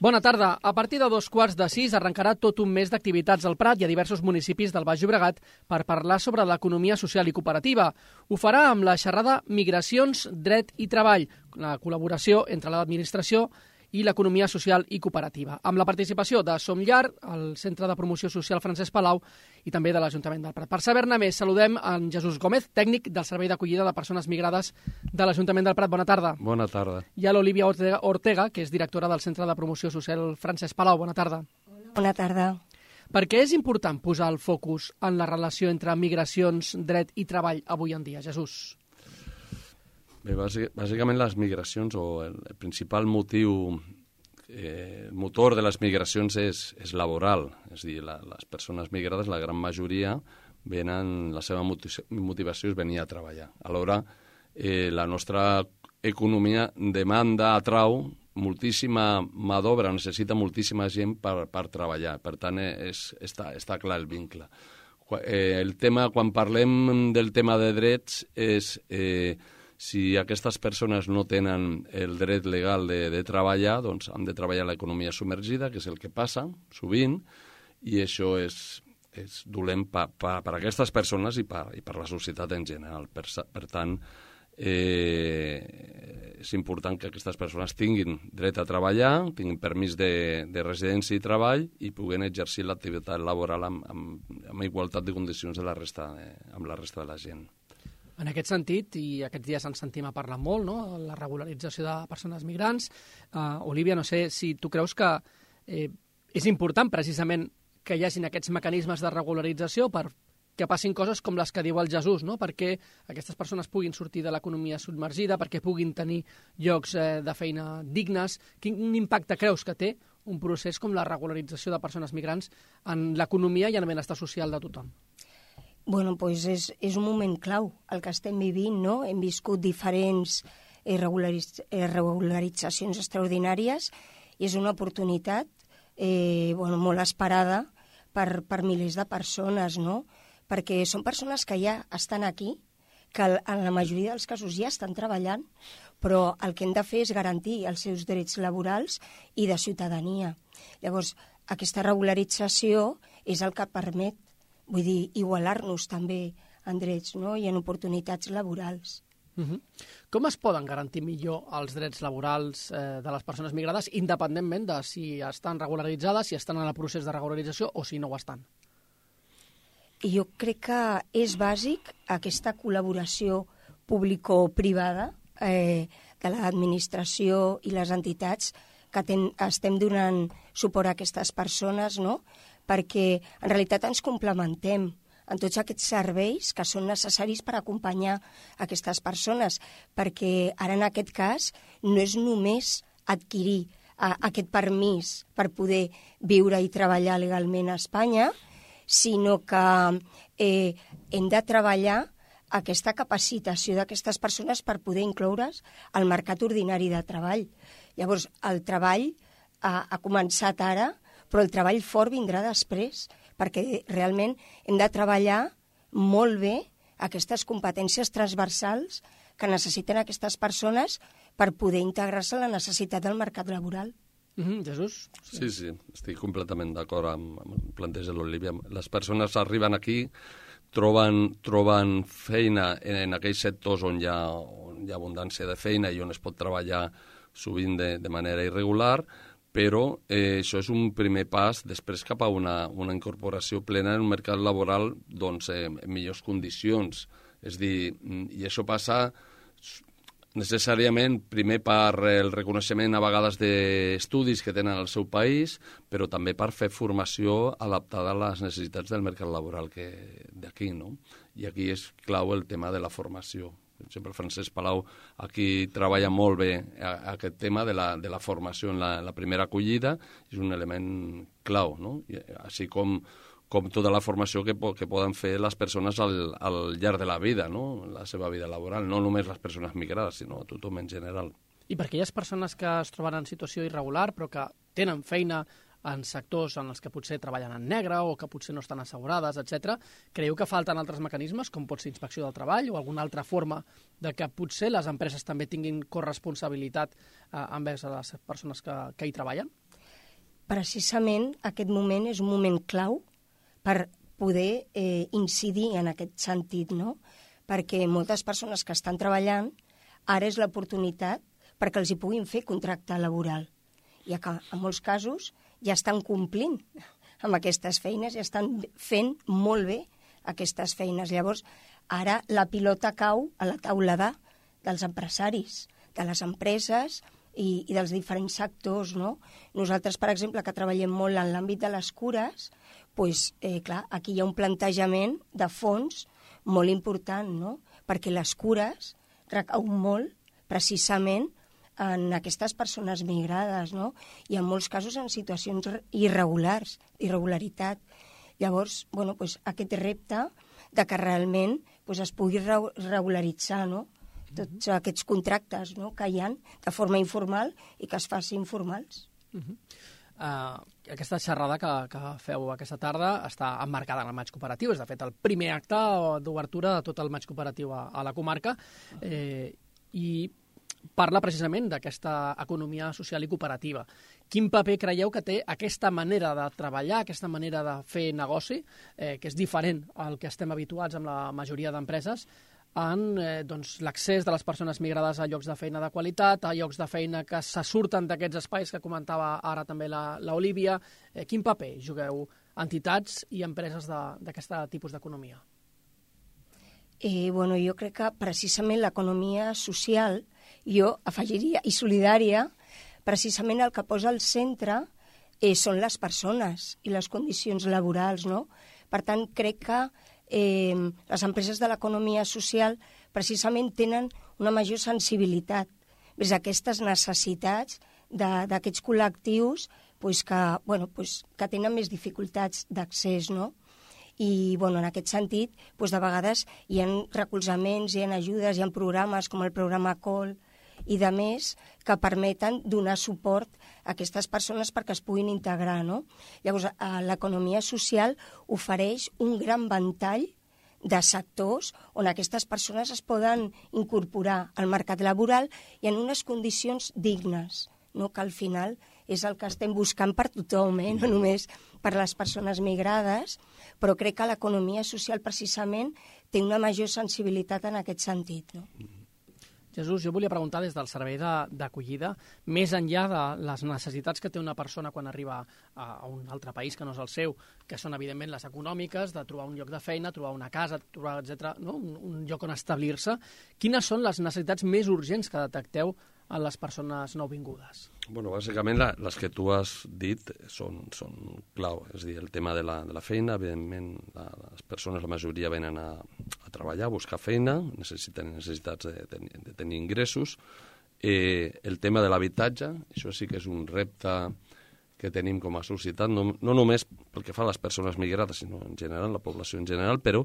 Bona tarda. A partir de 5:15 arrencarà tot un mes d'activitats al Prat i a diversos municipis del Baix Llobregat per parlar sobre l'economia social i cooperativa. Ho farà amb la xerrada Migracions, Dret i Treball, la col·laboració entre l'administració i l'economia social i cooperativa, amb la participació de Som Llar, el Centre de Promoció Social Francesc Palau i també de l'Ajuntament del Prat. Per saber-ne més, saludem en Jesús Gómez, tècnic del Servei d'Acollida de Persones Migrades de l'Ajuntament del Prat. Bona tarda. Bona tarda. I a l'Olivia Ortega, que és directora del Centre de Promoció Social Francesc Palau. Bona tarda. Bona tarda. Per què és important posar el focus en la relació entre migracions, dret i treball avui en dia, Jesús? Bé, bàsicament les migracions, o el principal motiu, motor de les migracions és laboral. És a dir, les persones migrades, la gran majoria, la seva motivació és venir a treballar. Alhora, la nostra economia atrau moltíssima mà d'obra, necessita moltíssima gent per treballar. Per tant, està clar el vincle. Quan parlem del tema de drets és si aquestes persones no tenen el dret legal de treballar, doncs han de treballar a l'economia submergida, que és el que passa sovint, i això és dolent per a aquestes persones i per la societat en general. Per tant, és important que aquestes persones tinguin dret a treballar, tinguin permís de residència i treball i puguen exercir l'activitat laboral amb igualtat de condicions amb la resta de la gent. En aquest sentit, i aquests dies ens sentim a parlar molt, no?, la regularització de persones migrants. Olivia, no sé si tu creus que és important precisament que hi hagin aquests mecanismes de regularització per que passin coses com les que diu el Jesús, no?, perquè aquestes persones puguin sortir de l'economia submergida, perquè puguin tenir llocs de feina dignes. Quin impacte creus que té un procés com la regularització de persones migrants en l'economia i en el benestar social de tothom? Bueno, doncs és un moment clau el que estem vivint, no? Hem viscut diferents regularitzacions extraordinàries i és una oportunitat molt esperada per milers de persones, no? Perquè són persones que ja estan aquí, que en la majoria dels casos ja estan treballant, però el que hem de fer és garantir els seus drets laborals i de ciutadania. Llavors, aquesta regularització és el que permet, vull dir, igualar-nos també en drets, no?, i en oportunitats laborals. Com es poden garantir millor els drets laborals de les persones migrades, independentment de si estan regularitzades, si estan en el procés de regularització o si no ho estan? Jo crec que és bàsic aquesta col·laboració público-privada de l'administració i les entitats que estem donant suport a aquestes persones, no?, perquè en realitat ens complementem en tots aquests serveis que són necessaris per acompanyar aquestes persones, perquè ara en aquest cas no és només adquirir aquest permís per poder viure i treballar legalment a Espanya, sinó que hem de treballar aquesta capacitació d'aquestes persones per poder incloure's al mercat ordinari de treball. Llavors, el treball ha començat ara, però el treball fort vindrà després, perquè realment hem de treballar molt bé aquestes competències transversals que necessiten aquestes persones per poder integrar-se en la necessitat del mercat laboral. Jesús? Sí, estic completament d'acord amb el planteig de l'Olivia. Les persones arriben aquí, troben feina en aquells sectors on hi ha abundància de feina i on es pot treballar sovint de manera irregular, però això és un primer pas després cap a una incorporació plena en un mercat laboral en millors condicions. És dir, i això passa necessàriament primer per el reconeixement a vegades d'estudis que tenen al seu país, però també per fer formació adaptada a les necessitats del mercat laboral d'aquí, no? I aquí és clau el tema de la formació. Per exemple, Francesc Palau aquí treballa molt bé aquest tema de la formació en la primera acollida, és un element clau, no? Així com tota la formació que poden fer les persones al llarg de la vida, no?, la seva vida laboral, no només les persones migrades, sinó tothom en general. I per aquelles persones que es troben en situació irregular però que tenen feina en sectors en els que potser treballen en negre o que potser no estan assegurades, etc. Creieu que falten altres mecanismes, com pot ser inspecció del treball o alguna altra forma de que potser les empreses també tinguin corresponsabilitat envers a les persones que hi treballen? precisament aquest moment és un moment clau per poder incidir en aquest sentit, no? Perquè moltes persones que estan treballant, ara és l'oportunitat perquè els hi puguin fer contracte laboral. I que en molts casos ja estan complint amb aquestes feines, ja estan fent molt bé aquestes feines. Llavors, ara la pilota cau a la taula dels empresaris, de les empreses i dels diferents sectors, no? Nosaltres, per exemple, que treballem molt en l'àmbit de les cures, doncs, clar, aquí hi ha un plantejament de fons molt important, no? Perquè les cures recauen molt precisament en aquestes persones migrades, no? I en molts casos en situacions irregularitat. Llavors, bueno, doncs aquest repte de que realment doncs, es pugui regularitzar, no? Tots aquests contractes, no?, que hi ha de forma informal i que es facin formals. Aquesta xerrada que feu aquesta tarda està emmarcada en el maig cooperatiu. És, de fet, el primer acte d'obertura de tot el maig cooperatiu a la comarca i parla precisament d'aquesta economia social i cooperativa. Quin paper creieu que té aquesta manera de treballar, aquesta manera de fer negoci, que és diferent al que estem habituats amb la majoria d'empreses, en l'accés de les persones migrades a llocs de feina de qualitat, a llocs de feina que se surten d'aquests espais que comentava ara també l'Olívia. Quin paper jugueu entitats i empreses d'aquest tipus d'economia? Bueno, jo crec que precisament l'economia social, jo afegiria, i solidària, precisament el que posa al centre són les persones i les condicions laborals, no? Per tant, crec que les empreses de l'economia social precisament tenen una major sensibilitat vers aquestes necessitats d'aquests col·lectius que tenen més dificultats d'accés, no? I en aquest sentit, de vegades hi ha recolzaments, hi ha ajudes, hi ha programes com el programa COL i de més que permeten donar suport a aquestes persones perquè es puguin integrar, no? Llavors, l'economia social ofereix un gran ventall de sectors on aquestes persones es poden incorporar al mercat laboral i en unes condicions dignes, no? Que al final és el que estem buscant per tothom, no només per les persones migrades, però crec que l'economia social precisament té una major sensibilitat en aquest sentit, no? Jesús, jo volia preguntar des del servei d'acollida, més enllà de les necessitats que té una persona quan arriba a un altre país que no és el seu, que són evidentment les econòmiques, de trobar un lloc de feina, trobar una casa, trobar, etc., no? un lloc on establir-se. Quines són les necessitats més urgents que detecteu en les persones nouvingudes? Bueno, bàsicament les que tu has dit són clau. És a dir, el tema de la feina, evidentment, les persones, la majoria venen a treballar, a buscar feina, necessiten necessitats de tenir ingressos. El tema de l'habitatge, això sí que és un repte que tenim com a societat, no només pel que fa a les persones migrades, sinó en general, la població en general, però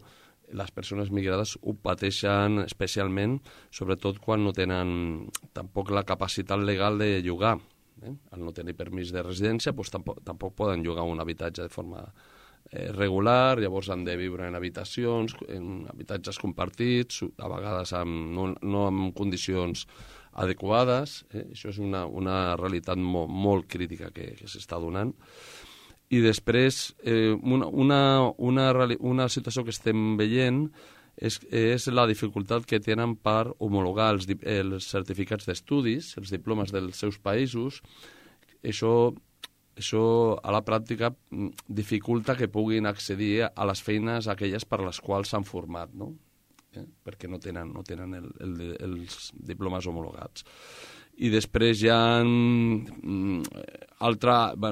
les persones migrades ho pateixen especialment, sobretot quan no tenen tampoc la capacitat legal de llogar. Al no tenir permís de residència, doncs tampoc poden llogar un habitatge de forma regular, llavors han de viure en habitacions, en habitatges compartits, a vegades no en condicions adequades. Això és una realitat molt crítica que s'està donant. I després, una situació que estem veient és la dificultat que tenen per homologar els certificats d'estudis, els diplomes dels seus països. Això a la pràctica dificulta que puguin accedir a les feines aquelles per les quals s'han format, no? Perquè no tenen els diplomes homologats. I després hi ha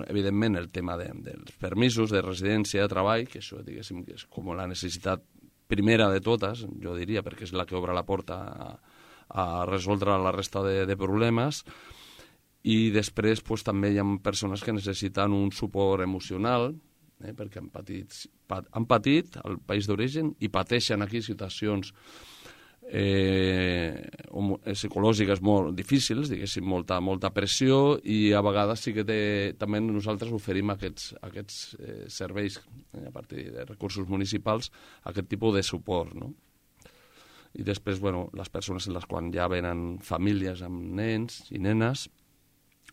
evidentment, el tema dels permisos de residència, de treball, que això, diguéssim, és com la necessitat primera de totes, jo diria, perquè és la que obre la porta a resoldre la resta de problemes. I després també hi ha persones que necessiten un suport emocional, perquè han patit al país d'origen i pateixen aquí situacions psicològiques molt difícils, diguéssim, molta pressió, i a vegades sí que també nosaltres oferim aquests serveis a partir de recursos municipals, aquest tipus de suport, no? I després, les persones en les quan ja venen famílies amb nens i nenes,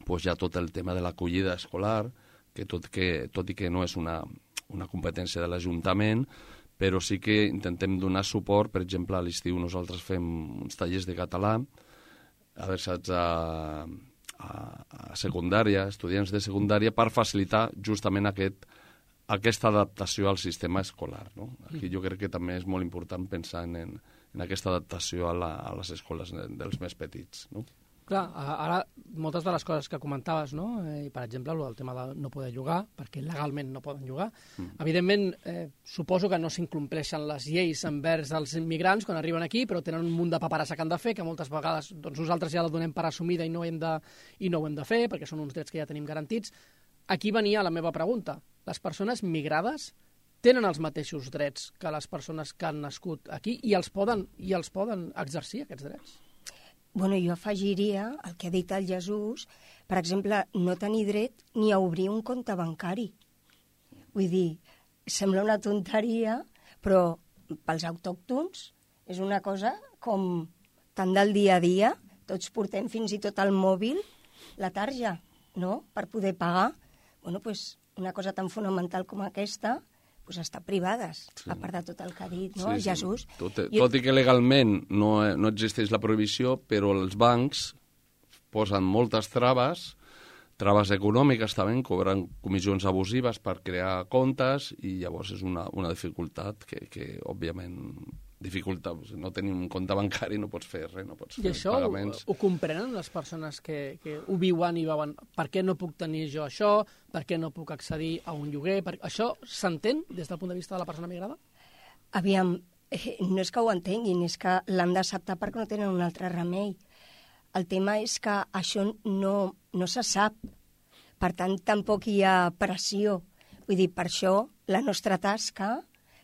doncs hi ha tot el tema de l'acollida escolar, tot i que no és una competència de l'Ajuntament, però sí que intentem donar suport. Per exemple, a l'estiu nosaltres fem uns tallers de català adreçats a secundària, estudiants de secundària, per facilitar justament aquesta adaptació al sistema escolar. No? Aquí jo crec que també és molt important pensar en aquesta adaptació a les escoles dels més petits. No? Clar, ara moltes de les coses que comentaves, no? Per exemple, el tema de no poder llogar, perquè legalment no poden llogar. Evidentment, suposo que no s'incompleixen les lleis envers els immigrants quan arriben aquí, però tenen un munt de paperassa que han de fer, que moltes vegades doncs, nosaltres ja la donem per assumida i no ho hem de fer, perquè són uns drets que ja tenim garantits. Aquí venia la meva pregunta. Les persones migrades tenen els mateixos drets que les persones que han nascut aquí i els poden exercir, aquests drets? Bueno, jo afegiria el que ha dit el Jesús, per exemple, no tenir dret ni a obrir un compte bancari. Vull dir, sembla una tonteria, però pels autòctons és una cosa com tan del dia a dia. Tots portem fins i tot al mòbil la tarja, no?, per poder pagar. Bueno, doncs una cosa tan fonamental com aquesta pues està privades, sí. A part de tot el que ha dit, no? Sí, Jesús. Sí. Tot i que legalment no existeix la prohibició, però els bancs posen moltes traves econòmiques també, cobren comissions abusives per crear comptes i llavors és una dificultat que òbviament dificulta. No tenir un compte bancari no pots fer res, no pots fer pagaments. I això ho comprenen les persones que ho viuen i veuen per què no puc tenir jo això, per què no puc accedir a un lloguer? Això s'entén des del punt de vista de la persona migrada? Aviam, no és que ho entenguin, és que l'han d'acceptar perquè no tenen un altre remei. El tema és que això no se sap, per tant tampoc hi ha pressió. Vull dir, per això la nostra tasca,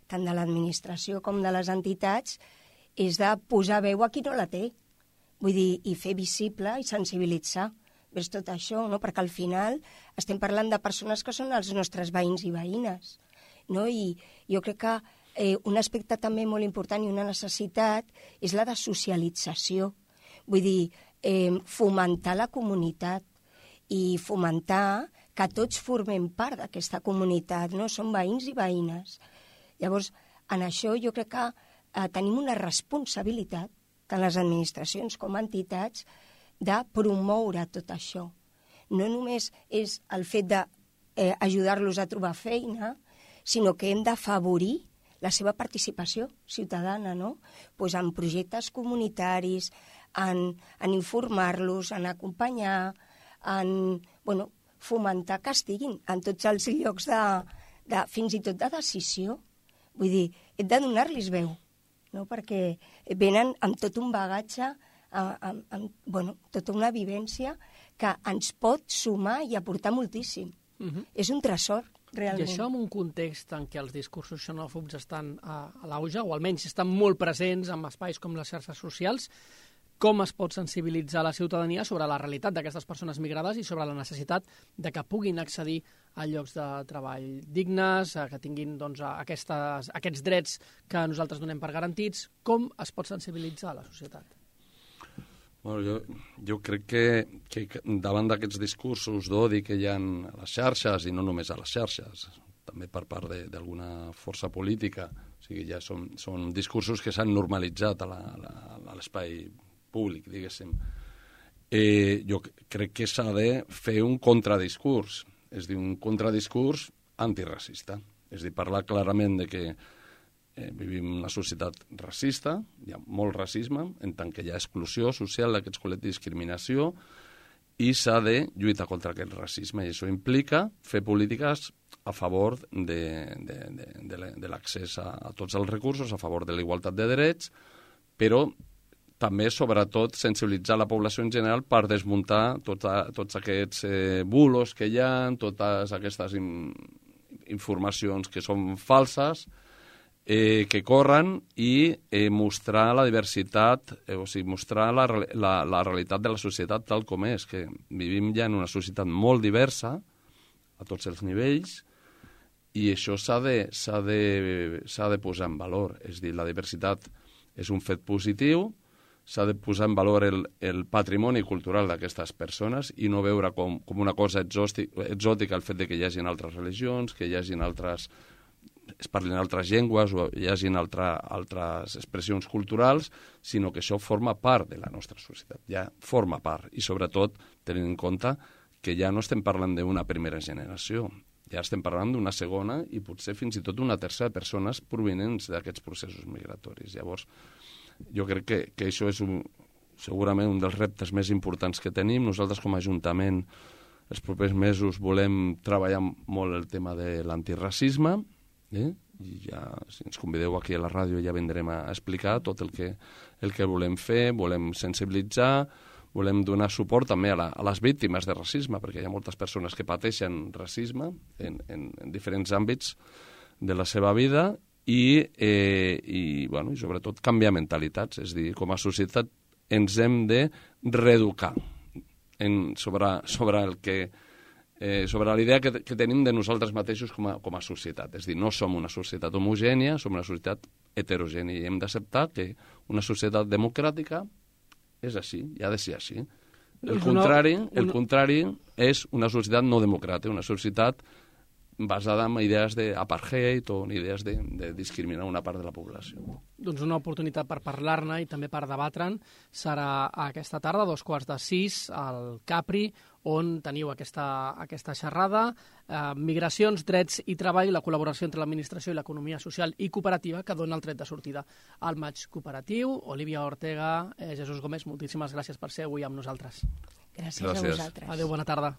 tant de l'administració com de les entitats, és de posar veu a qui no la té. Vull dir, i fer visible i sensibilitzar vers tot això, no? Perquè al final estem parlant de persones que són els nostres veïns i veïnes, no? I jo crec que un aspecte també molt important i una necessitat és la de socialització. Vull dir, fomentar la comunitat i fomentar que tots formem part d'aquesta comunitat, no? Som veïns i veïnes. Llavors, en això jo crec que tenim una responsabilitat, tant les administracions com entitats, de promoure tot això. No només és el fet d'ajudar-los a trobar feina, sinó que hem d'afavorir la seva participació ciutadana, no? Pues en projectes comunitaris, en informar-los, en acompanyar, en fomentar que estiguin en tots els llocs fins i tot de decisió. Vull dir, hem de donar-los veu, no? Perquè venen amb tot un bagatge, amb tota una vivència que ens pot sumar i aportar moltíssim. És un tresor, realment. I això en un context en què els discursos xenòfobs estan a l'auge, o almenys estan molt presents en espais com les xarxes socials, com es pot sensibilitzar la ciutadania sobre la realitat d'aquestes persones migrades i sobre la necessitat de que puguin accedir a llocs de treball dignes, que tinguin doncs, aquests drets que nosaltres donem per garantits? Com es pot sensibilitzar la societat? Bueno, jo crec que davant d'aquests discursos d'odi que hi ha a les xarxes, i no només a les xarxes, també per part d'alguna força política, o sigui, ja són discursos que s'han normalitzat a l'espai públic, diguéssim. Jo crec que s'ha de fer un contradiscurs, és a dir, un contradiscurs antiracista. És a dir, parlar clarament de que vivim en una societat racista, hi ha molt racisme, en tant que hi ha exclusió social d'aquests col·lectius, discriminació, i s'ha de lluitar contra aquest racisme. I això implica fer polítiques a favor de l'accés a tots els recursos, a favor de la igualtat de drets, però també, sobretot, sensibilitzar la població en general per desmuntar tots aquests bulos que hi ha, totes aquestes informacions que són falses, que corren, i mostrar la diversitat, o sigui, mostrar la realitat de la societat tal com és, que vivim ja en una societat molt diversa, a tots els nivells, i això s'ha de posar en valor. És a dir, la diversitat és un fet positiu, s'ha de posar en valor el patrimoni cultural d'aquestes persones i no veure com una cosa exòtica el fet de que hi hagin altres religions, que hi hagin es parlin altres llengües o hi hagin altres expressions culturals, sinó que això forma part de la nostra societat, ja forma part. I sobretot tenint en compte que ja no estem parlant d'una primera generació, ja estem parlant d'una segona i potser fins i tot una tercera de persones provinents d'aquests processos migratoris. Llavors, jo crec que això és segurament un dels reptes més importants que tenim. Nosaltres com a Ajuntament els propers mesos volem treballar molt el tema de l'antiracisme, i ja, si ens convideu aquí a la ràdio ja vindrem a explicar tot el que volem fer, volem sensibilitzar, volem donar suport també a les víctimes de racisme, perquè hi ha moltes persones que pateixen racisme en diferents àmbits de la seva vida i sobretot canviar mentalitats, és a dir, com a societat ens hem de reeducar sobre la idea que tenim de nosaltres mateixos com a societat. És a dir, no som una societat homogènia, som una societat heterogènia i hem d'acceptar que una societat democràtica és així, i ha de ser així. El contrari és una societat no democràtica, una societat basada en idees d'apartheid o en idees de discriminar una part de la població. Doncs una oportunitat per parlar-ne i també per debatre'n serà aquesta tarda, 5:45, al Capri, on teniu aquesta xerrada, migracions, drets i treball, la col·laboració entre l'administració i l'economia social i cooperativa, que dona el tret de sortida al maig cooperatiu. Olivia Ortega, Jesús Gómez, moltíssimes gràcies per ser avui amb nosaltres. Gràcies a vosaltres. Adéu, bona tarda.